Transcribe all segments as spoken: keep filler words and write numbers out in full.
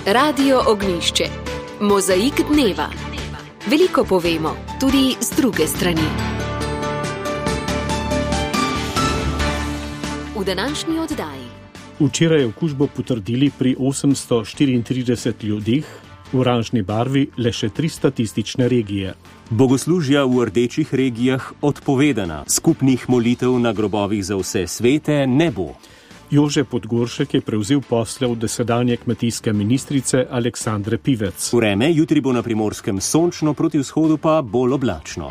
Radio Ognjišče. Mozaik dneva. Veliko povemo, tudi z druge strani. V današnji oddaji. Včeraj okužbo potrdili pri osemsto štiriintrideset ljudeh, v oranžni barvi le še tri statistične regije. Bogoslužja v rdečih regijah odpovedana, skupnih molitev na grobovih za vse svete ne bo. Jože Podgoršek je prevzel posle od dosedanje kmetijske ministrice Aleksandre Pivec. Vreme jutri bo na Primorskem sončno, proti vzhodu pa bolj oblačno.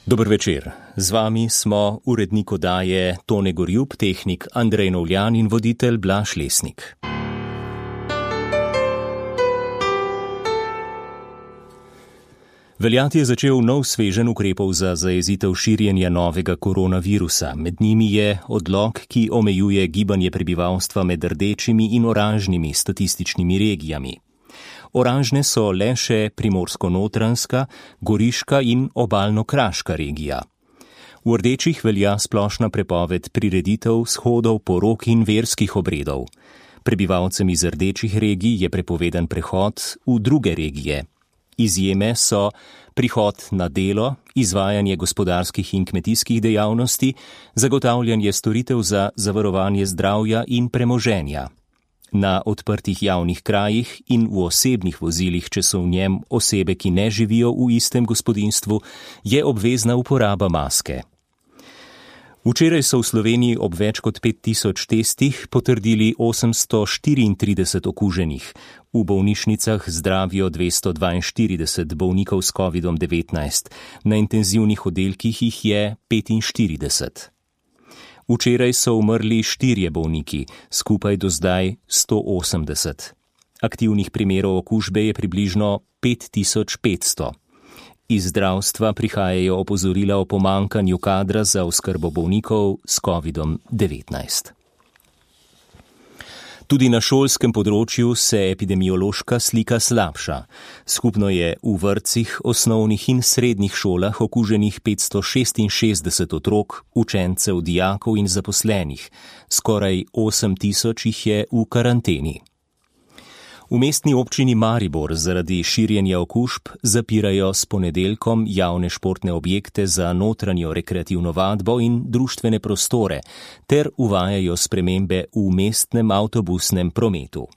Dober večer. Z vami smo urednik oddaje Tone Gorjub, tehnik Andrej Novljan in voditelj Blaž Lesnik. Veljati je začel nov sveženj ukrepov za zajezitev širjenja novega koronavirusa. Med njimi je odlok, ki omejuje gibanje prebivalstva med rdečimi in oranžnimi statističnimi regijami. Oranžne so le še Primorsko-Notranjska, Goriška in Obalno-Kraška regija. V rdečih velja splošna prepoved prireditev, shodov, porok in verskih obredov. Prebivalcem iz rdečih regij je prepovedan prehod v druge regije. Izjeme so prihod na delo, izvajanje gospodarskih in kmetijskih dejavnosti, zagotavljanje storitev za zavarovanje zdravja in premoženja. Na odprtih javnih krajih in v osebnih vozilih, če so v njem osebe, ki ne živijo v istem gospodinjstvu, je obvezna uporaba maske. Včeraj so v Sloveniji ob več kot pet tisoč testih potrdili osemsto štiriintrideset okuženih. V bolnišnicah zdravijo dvesto dvainštirideset bolnikov s kovidom devetnajst, na intenzivnih oddelkih jih je petinštirideset. Včeraj so umrli štirje bolniki, skupaj do zdaj sto osemdeset. Aktivnih primerov okužbe je približno pet tisoč petsto. Iz zdravstva prihajajo opozorila o pomanjkanju kadra za oskrbo bolnikov s kovidom devetnajst. Tudi na šolskem področju se epidemiološka slika slabša. Skupno je v vrtcih, osnovnih in srednjih šolah okuženih petsto šestinšestdeset otrok, učencev, dijakov in zaposlenih. Skoraj osem tisoč jih je v karanteni. V mestni občini Maribor zaradi širjenja okužb zapirajo s ponedeljkom javne športne objekte za notranjo rekreativno vadbo in društvene prostore ter uvajajo spremembe v mestnem avtobusnem prometu.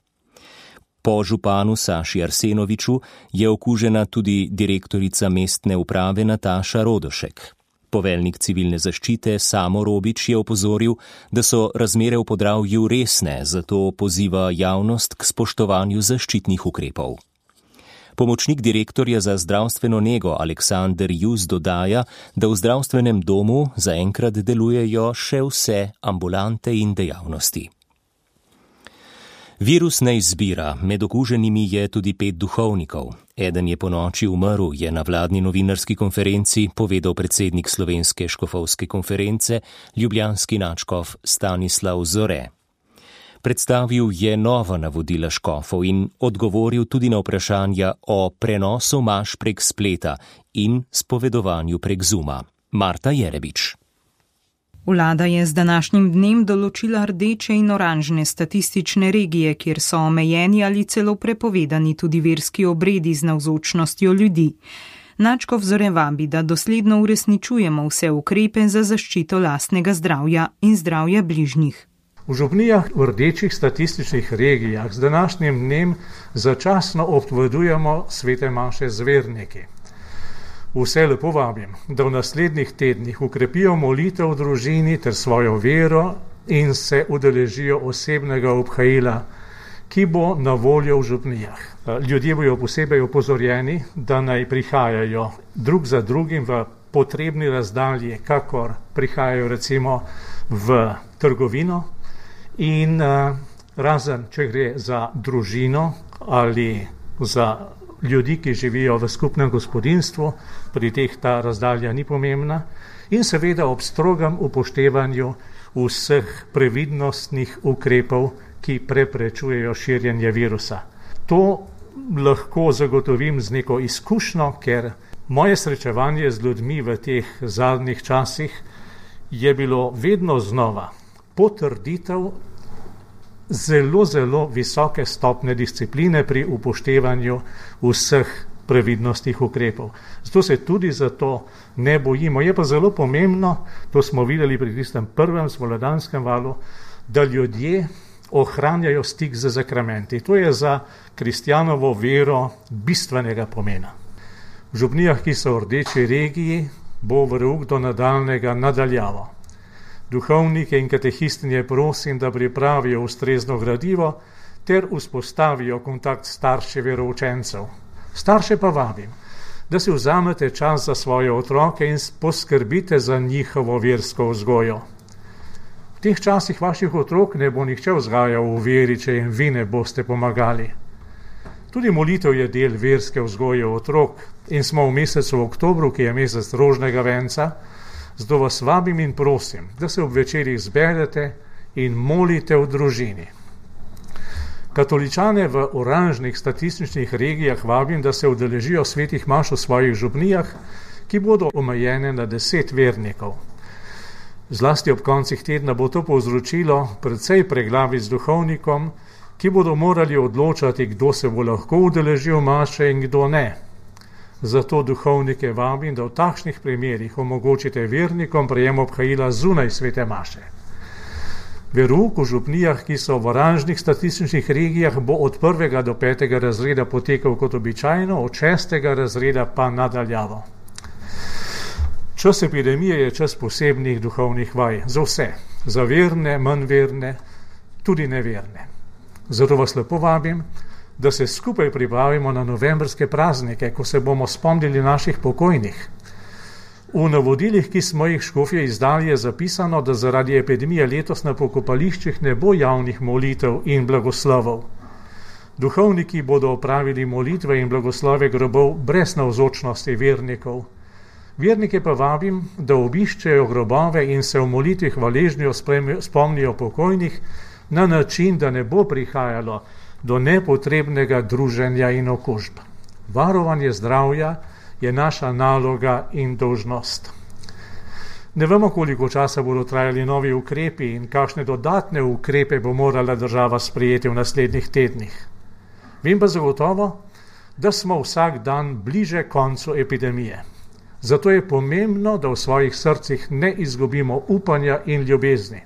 Po županu Saši Arsenoviču je okužena tudi direktorica mestne uprave Nataša Rodošek. Poveljnik civilne zaščite Samo Robič je opozoril, da so razmere v Podravju resne, zato poziva javnost k spoštovanju zaščitnih ukrepov. Pomočnik direktorja za zdravstveno nego Aleksander Jus dodaja, da v zdravstvenem domu zaenkrat delujejo še vse ambulante in dejavnosti. Virus ne izbira, med okuženimi je tudi pet duhovnikov. Eden je ponoči umrl, je na vladni novinarski konferenci povedal predsednik Slovenske škofovske konference, ljubljanski nadškof Stanislav Zore. Predstavil je nova navodila škofov in odgovoril tudi na vprašanja o prenosu maš prek spleta in spovedovanju prek Zooma. Marta Jerebič. Vlada je z današnjim dnem določila rdeče in oranžne statistične regije, kjer so omejeni ali celo prepovedani tudi verski obredi z navzočnostjo ljudi. Nadškof Zore vabi, da dosledno uresničujemo vse ukrepe za zaščito lastnega zdravja in zdravja bližnjih. V župnijah v rdečih statističnih regijah z današnjim dnem začasno odpovedujemo svete maše z verniki. Vse lepo vabim, da v naslednjih tednih ukrepijo molitev v družini ter svojo vero in se udeležijo osebnega obhajila, ki bo na voljo v župnijah. Ljudje bojo posebej opozorjeni, da naj prihajajo drug za drugim v potrebni razdalji, kakor prihajajo recimo v trgovino in razen, če gre za družino ali za ljudi, ki živijo v skupnem gospodinjstvu, pri teh ta razdalja ni pomembna in seveda ob strogem upoštevanju vseh previdnostnih ukrepov, ki preprečujejo širjenje virusa. To lahko zagotovim z neko izkušnjo, ker moje srečevanje z ljudmi v teh zadnjih časih je bilo vedno znova potrditev zelo, zelo visoke stopne discipline pri upoštevanju vseh previdnostnih ukrepov. Zato se tudi za to ne bojimo. Je pa zelo pomembno, to smo videli pri tistem prvem spomladanskem valu, da ljudje ohranjajo stik z zakramenti. To je za kristjanovo vero bistvenega pomena. V župnijah, ki so v rdeči regiji, bo verouk do nadaljnega nadaljavo. Duhovnike in katehistinje prosim, da pripravijo ustrezno gradivo ter vzpostavijo kontakt s starši veroučencev. Starše pa vabim, da si vzamete čas za svoje otroke in poskrbite za njihovo versko vzgojo. V teh časih vaših otrok ne bo nihče vzgajal v veri, če jim vi ne boste pomagali. Tudi molitev je del verske vzgoje otrok in smo v mesecu oktobru, ki je mesec rožnega venca, zato vas vabim in prosim, da se ob večerih zberete in molite v družini. Katoličane v oranžnih statističnih regijah vabim, da se udeležijo svetih maš v svojih župnijah, ki bodo omejene na deset vernikov. Zlasti ob koncih tedna bo to povzročilo precej preglavic z duhovnikom, ki bodo morali odločati, kdo se bo lahko udeležil maše in kdo ne. Zato duhovnike vabim, da v takšnih primerih omogočite vernikom prejem obhajila zunaj svete maše. Verouk v župnijah, ki so v oranžnih statističnih regijah, bo od prvega do petega razreda potekal kot običajno, od šestega razreda pa nadaljavo. Čas epidemije je čas posebnih duhovnih vaj za vse, za verne, manj verne, tudi neverne. Zato vas lepo vabim, da se skupaj pripravimo na novembrske praznike, ko se bomo spomnili naših pokojnih. V navodilih, ki smo jih škofje izdali, je zapisano, da zaradi epidemije letos na pokopališčih ne bo javnih molitev in blagoslovov. Duhovniki bodo opravili molitve in blagoslove grobov brez navzočnosti vernikov. Vernike pa vabim, da obiščejo grobove in se v molitvi hvaležnjo spomnijo pokojnih na način, da ne bo prihajalo do nepotrebnega druženja in okužb. Varovanje zdravja je naša naloga in dolžnost. Ne vemo, koliko časa bodo trajali novi ukrepi in kakšne dodatne ukrepe bo morala država sprejeti v naslednjih tednih. Vem pa zagotovo, da smo vsak dan bliže koncu epidemije. Zato je pomembno, da v svojih srcih ne izgubimo upanja in ljubezni.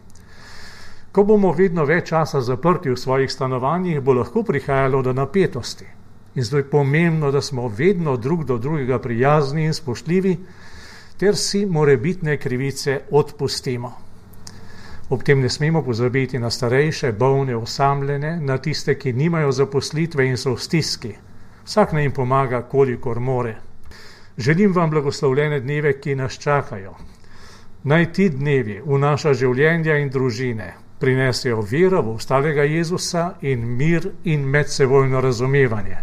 Ko bomo vedno več časa zaprti v svojih stanovanjih, bo lahko prihajalo do napetosti. In zato je pomembno, da smo vedno drug do drugega prijazni in spoštljivi, ter si morebitne krivice odpustimo. Ob tem ne smemo pozabiti na starejše, bolne, osamljene, na tiste, ki nimajo zaposlitve in so v stiski. Vsak naj jim pomaga, kolikor more. Želim vam blagoslovljene dneve, ki nas čakajo. Naj ti dnevi v naša življenja in družine prinesejo vero v ostalega Jezusa in mir in medsebojno razumevanje.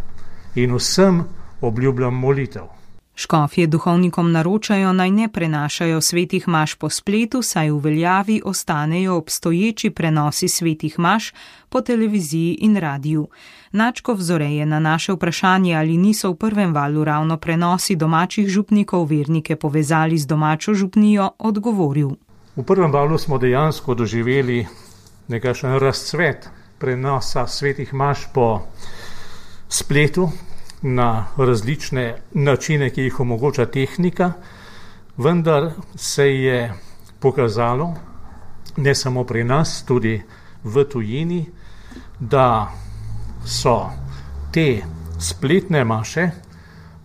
In vsem obljubljam molitev. Škofje duhovnikom naročajo, naj ne prenašajo svetih maš po spletu, saj v veljavi ostanejo obstoječi prenosi svetih maš po televiziji in radiju. Načkov Zore je na naše vprašanje, ali niso v prvem valu ravno prenosi domačih župnikov vernike povezali z domačo župnijo, odgovoril. V prvem valu smo dejansko doživeli nekakšen razcvet prenosa svetih maš po spletu na različne načine, ki jih omogoča tehnika, vendar se je pokazalo, ne samo pri nas, tudi v tujini, da so te spletne maše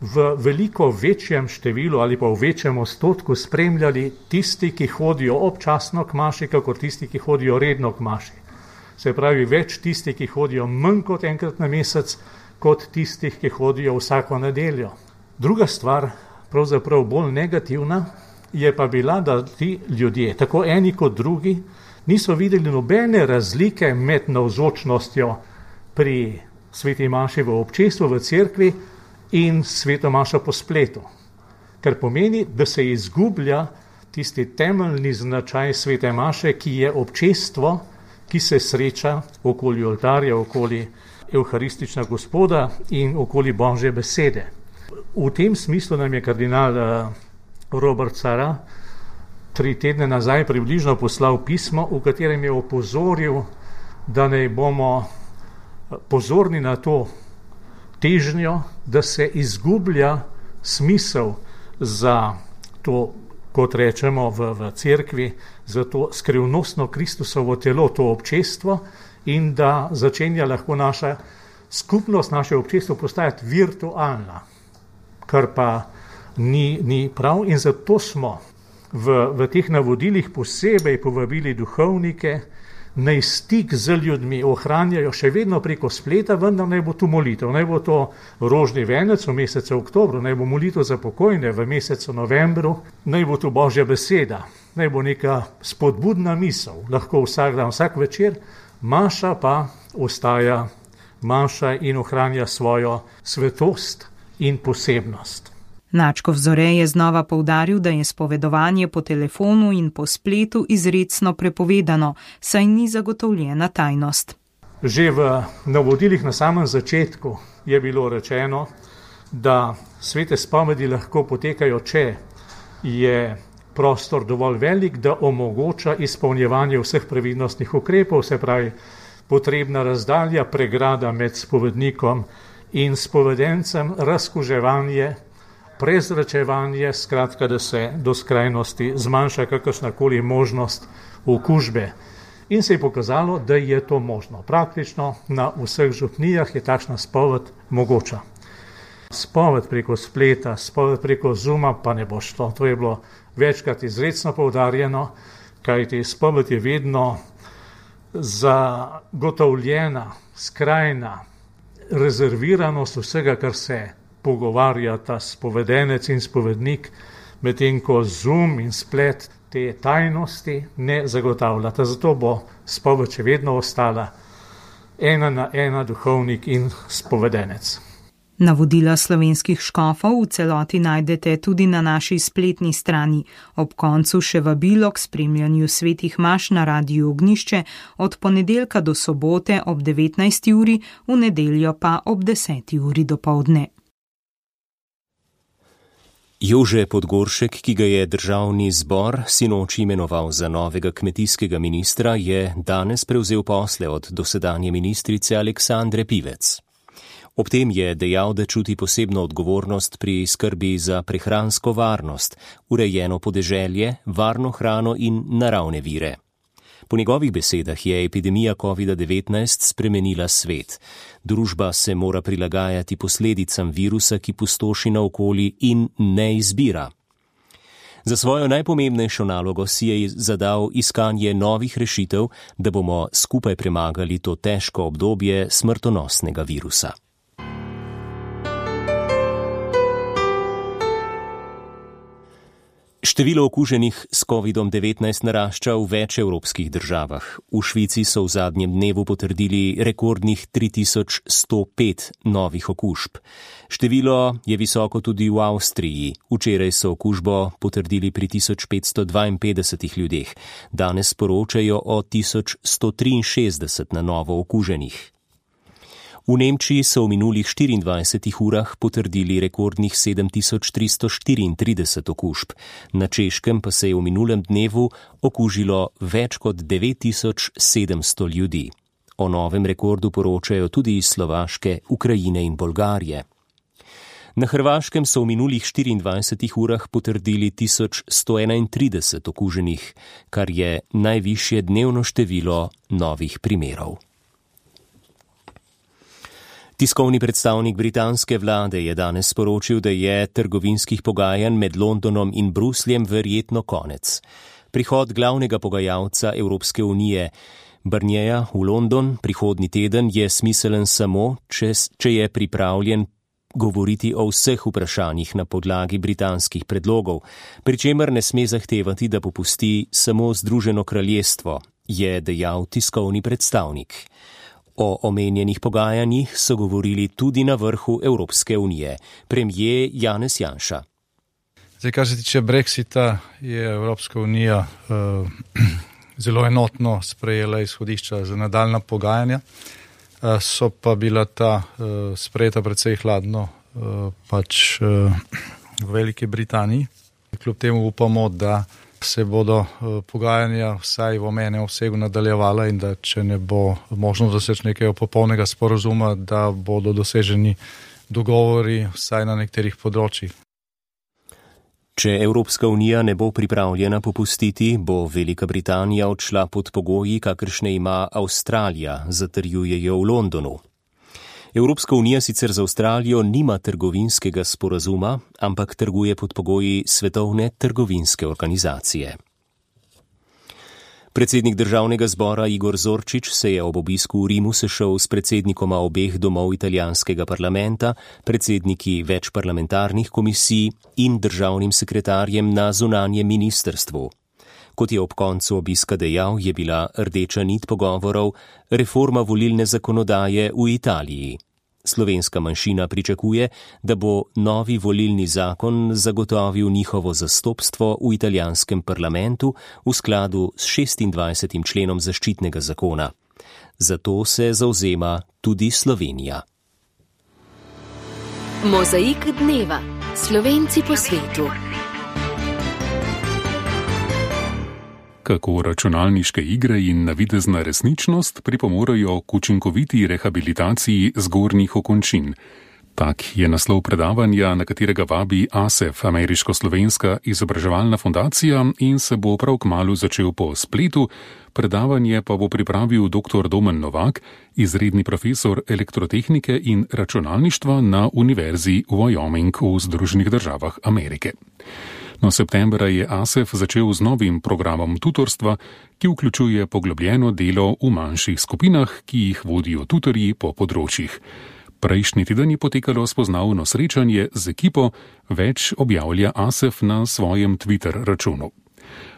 v veliko večjem številu ali pa v večjem odstotku spremljali tisti, ki hodijo občasno k maši, kakor tisti, ki hodijo redno k maši. Se pravi, več tisti, ki hodijo manj kot enkrat na mesec, kot tistih, ki hodijo vsako nedeljo. Druga stvar, pravzaprav bolj negativna, je pa bila, da ti ljudje, tako eni kot drugi, niso videli nobene razlike med navzočnostjo pri sveti maši v občestvu, v cerkvi in sveto mašo po spletu. Kar pomeni, da se izgublja tisti temeljni značaj svete maše, ki je občestvo, ki se sreča okoli oltarja, okoli evharistična Gospoda in okoli Božje besede. V tem smislu nam je kardinal Robert Sarah tri tedne nazaj približno poslal pismo, v katerem je opozoril da naj bomo pozorni na to težnjo, da se izgublja smisel za to, kot rečemo v, v cerkvi, za to skrivnostno Kristusovo telo, to občestvo, in da začenja lahko naša skupnost, naše občestvo postajati virtualna, kar pa ni, ni prav. In zato smo v, v teh navodilih posebej povabili duhovnike, naj stik z ljudmi ohranjajo še vedno preko spleta, vendar naj bo tu molitev, naj bo to rožni venec v mesecu oktobru, naj bo molitev za pokojne v mesecu novembru, naj bo tu Božja beseda, naj bo neka spodbudna misel, lahko vsak dan, vsak večer, maša pa ostaja maša in ohranja svojo svetost in posebnost. Načkov Zore je znova poudaril, da je spovedovanje po telefonu in po spletu izrecno prepovedano, saj ni zagotovljena tajnost. Že v navodilih na samem začetku je bilo rečeno, da svete spovedi lahko potekajo, če je prostor dovolj velik, da omogoča izpolnjevanje vseh previdnostnih ukrepov, se pravi potrebna razdalja, pregrada med spovednikom in spovedencem, razkuževanje, prezračevanje, skratka, da se do skrajnosti zmanjša kakršnakoli možnost okužbe. In se je pokazalo, da je to možno. Praktično na vseh župnijah je takšna spoved mogoča. Spoved preko spleta, spoved preko Zooma pa ne bo šlo. To je bilo večkrat izrecno poudarjeno, kajti spoved je vedno zagotovljena, skrajna rezerviranost vsega, kar se pogovarjata spovedenec in spovednik, medtem ko Zoom in splet te tajnosti ne zagotavljata. Zato bo spoved še vedno ostala ena na ena duhovnik in spovedenec. Navodila slovenskih škofov v celoti najdete tudi na naši spletni strani. Ob koncu še vabilo k spremljanju svetih maš na Radiu Ognjišče od ponedeljka do sobote ob devetnajsti uri, v nedeljo pa ob deseti uri dopoldne. Jože Podgoršek, ki ga je državni zbor sinoči imenoval za novega kmetijskega ministra, je danes prevzel posle od dosedanje ministrice Aleksandre Pivec. Ob tem je dejal, da čuti posebno odgovornost pri skrbi za prehransko varnost, urejeno podeželje, varno hrano in naravne vire. Po njegovih besedah je epidemija covid devetnajst spremenila svet. Družba se mora prilagajati posledicam virusa, ki pustoši naokoli in ne izbira. Za svojo najpomembnejšo nalogo si je zadal iskanje novih rešitev, da bomo skupaj premagali to težko obdobje smrtonosnega virusa. Število okuženih s covidom devetnajst narašča v več evropskih državah. V Švici so v zadnjem dnevu potrdili rekordnih tri tisoč sto pet novih okužb. Število je visoko tudi v Avstriji. Včeraj so okužbo potrdili pri tisoč petsto dvainpetdesetih ljudeh. Danes poročajo o tisoč sto triinšestdeset na novo okuženih. V Nemčiji so v minulih štiriindvajsetih urah potrdili rekordnih sedem tisoč tristo štiriintrideset okužb. Na Češkem pa se je v minulem dnevu okužilo več kot devet tisoč sedemsto ljudi. O novem rekordu poročajo tudi iz Slovaške, Ukrajine in Bolgarije. Na Hrvaškem so v minulih štiriindvajsetih urah potrdili tisoč sto enaintrideset okuženih, kar je najvišje dnevno število novih primerov. Tiskovni predstavnik britanske vlade je danes sporočil, da je trgovinskih pogajanj med Londonom in Brusljem verjetno konec. Prihod glavnega pogajalca Evropske unije Barnierja v London prihodnji teden je smiselen samo, če, če je pripravljen govoriti o vseh vprašanjih na podlagi britanskih predlogov, pri čemer ne sme zahtevati, da popusti samo Združeno kraljestvo, je dejal tiskovni predstavnik. O omenjenih pogajanjih so govorili tudi na vrhu Evropske unije. Premijer Janez Janša. Zdaj, kar se tiče Brexita, je Evropska unija uh, zelo enotno sprejela izhodišča za nadaljna pogajanja. Uh, so pa bila ta uh, sprejeta precej hladno uh, pač uh, v Veliki Britaniji. Kljub temu upamo, da se bodo pogajanja vsaj v omenjenem obsegu nadaljevala in da če ne bo možno doseči nekega popolnega sporazuma, da bodo doseženi dogovori vsaj na nekaterih področjih. Če Evropska unija ne bo pripravljena popustiti, bo Velika Britanija odšla pod pogoji, kakršne ima Avstralija, zatrjujejo v Londonu. Evropska unija sicer z Avstralijo nima trgovinskega sporazuma, ampak trguje pod pogoji Svetovne trgovinske organizacije. Predsednik državnega zbora Igor Zorčič se je ob obisku v Rimu sešel s predsednikoma obeh domov italijanskega parlamenta, predsedniki več parlamentarnih komisij in državnim sekretarjem na zunanjem ministrstvu. Kot je ob koncu obiska dejal, je bila rdeča nit pogovorov reforma volilne zakonodaje v Italiji. Slovenska manjšina pričakuje, da bo novi volilni zakon zagotovil njihovo zastopstvo v italijanskem parlamentu v skladu s šestindvajsetim členom zaščitnega zakona. Zato se zavzema tudi Slovenija. Mozaik dneva. Slovenci po svetu. Kako računalniške igre in navidezna resničnost pripomorejo k učinkoviti rehabilitaciji zgornjih okončin. Tak je naslov predavanja, na katerega vabi A S E F, Ameriško-slovenska izobraževalna fundacija, in se bo prav kmalu začel po spletu. Predavanje pa bo pripravil dr. Domen Novak, izredni profesor elektrotehnike in računalništva na Univerzi Wyoming v Združenih državah Amerike. No, septembra je A S E F začel z novim programom tutorstva, ki vključuje poglobljeno delo v manjših skupinah, ki jih vodijo tutorji po področjih. Prejšnji teden je potekalo spoznavno srečanje z ekipo, več objavlja A S E F na svojem Twitter računu.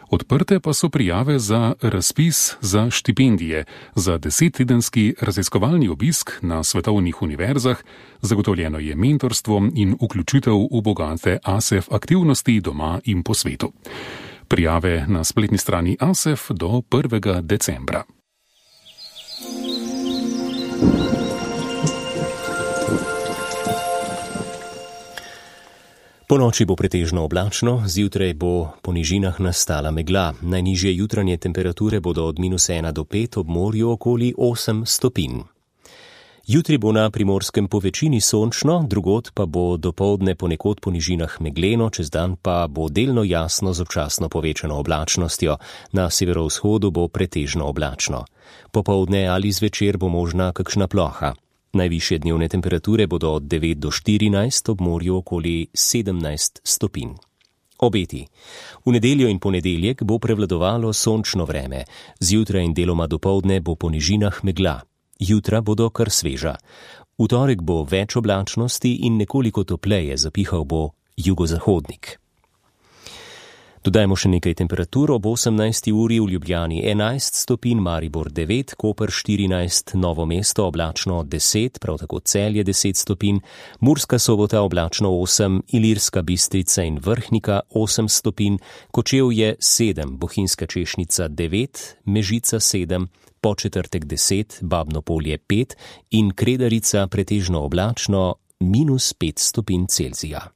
Odprte pa so prijave za razpis za štipendije, za desettedenski raziskovalni obisk na svetovnih univerzah, zagotovljeno je mentorstvo in vključitev v bogate A S E F aktivnosti doma in po svetu. Prijave na spletni strani A S E F do prvega decembra. Po noči bo pretežno oblačno, zjutraj bo po nižinah nastala megla. Najnižje jutranje temperature bodo od minus ena do pet, ob morju okoli osem stopinj. Jutri bo na Primorskem po večini sončno, drugod pa bo dopoldne ponekod po nižinah megleno, čez dan pa bo delno jasno z občasno povečano oblačnostjo. Na severovzhodu bo pretežno oblačno. Popoldne ali zvečer bo možna kakšna ploha. Najvišje dnevne temperature bodo od devet do štirinajst, ob morju okoli sedemnajst stopinj. Obeti. V nedeljo in ponedeljek bo prevladovalo sončno vreme. Zjutraj in deloma dopoldne bo po nižinah megla. Jutra bodo kar sveža. V torek bo več oblačnosti in nekoliko topleje, zapihal bo jugozahodnik. Dodajmo še nekaj temperatur. Ob osemnajsti uri v Ljubljani enajst stopinj, Maribor devet, Koper štirinajst, Novo mesto oblačno deset, prav tako Celje deset stopinj, Murska Sobota oblačno osem, Ilirska Bistrica in Vrhnika osem stopinj, Kočevje sedem, Bohinjska Češnica devet, Mežica sedem, Podčetrtek deset, Babno Polje pet in Kredarica pretežno oblačno minus pet stopinj Celzija.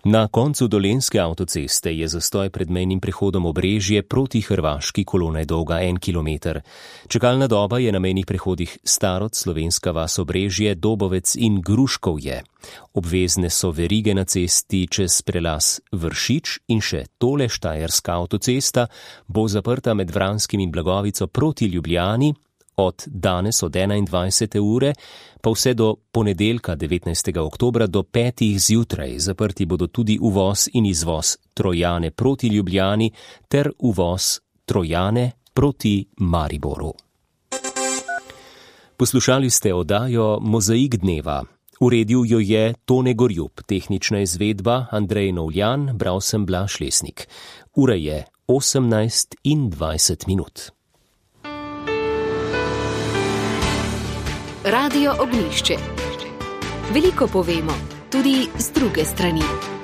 Na koncu Dolenjske avtoceste je zastoj pred mejnim prehodom Obrežje proti Hrvaški, kolona je dolga en kilometer. Čakalna doba je na mejnih prehodih Starod, Slovenska vas Obrežje, Dobovec in Gruškovje. Obvezne so verige na cesti čez prelaz Vršič in še tole Štajerska avtocesta bo zaprta med Vranskim in Blagovico proti Ljubljani od danes od enaindvajsete ure pa vse do ponedeljka devetnajstega oktobra do petih zjutraj. Zaprti bodo tudi uvoz in izvoz Trojane proti Ljubljani ter uvoz Trojane proti Mariboru. Poslušali ste oddajo Mozaik dneva. Uredil jo je Tone Gorjub, tehnična izvedba Andrej Novljan, bral sem Blaž Lesnik. Ura je osemnajst in dvajset minut. Radio Ognjišče. Veliko povemo, tudi z druge strani.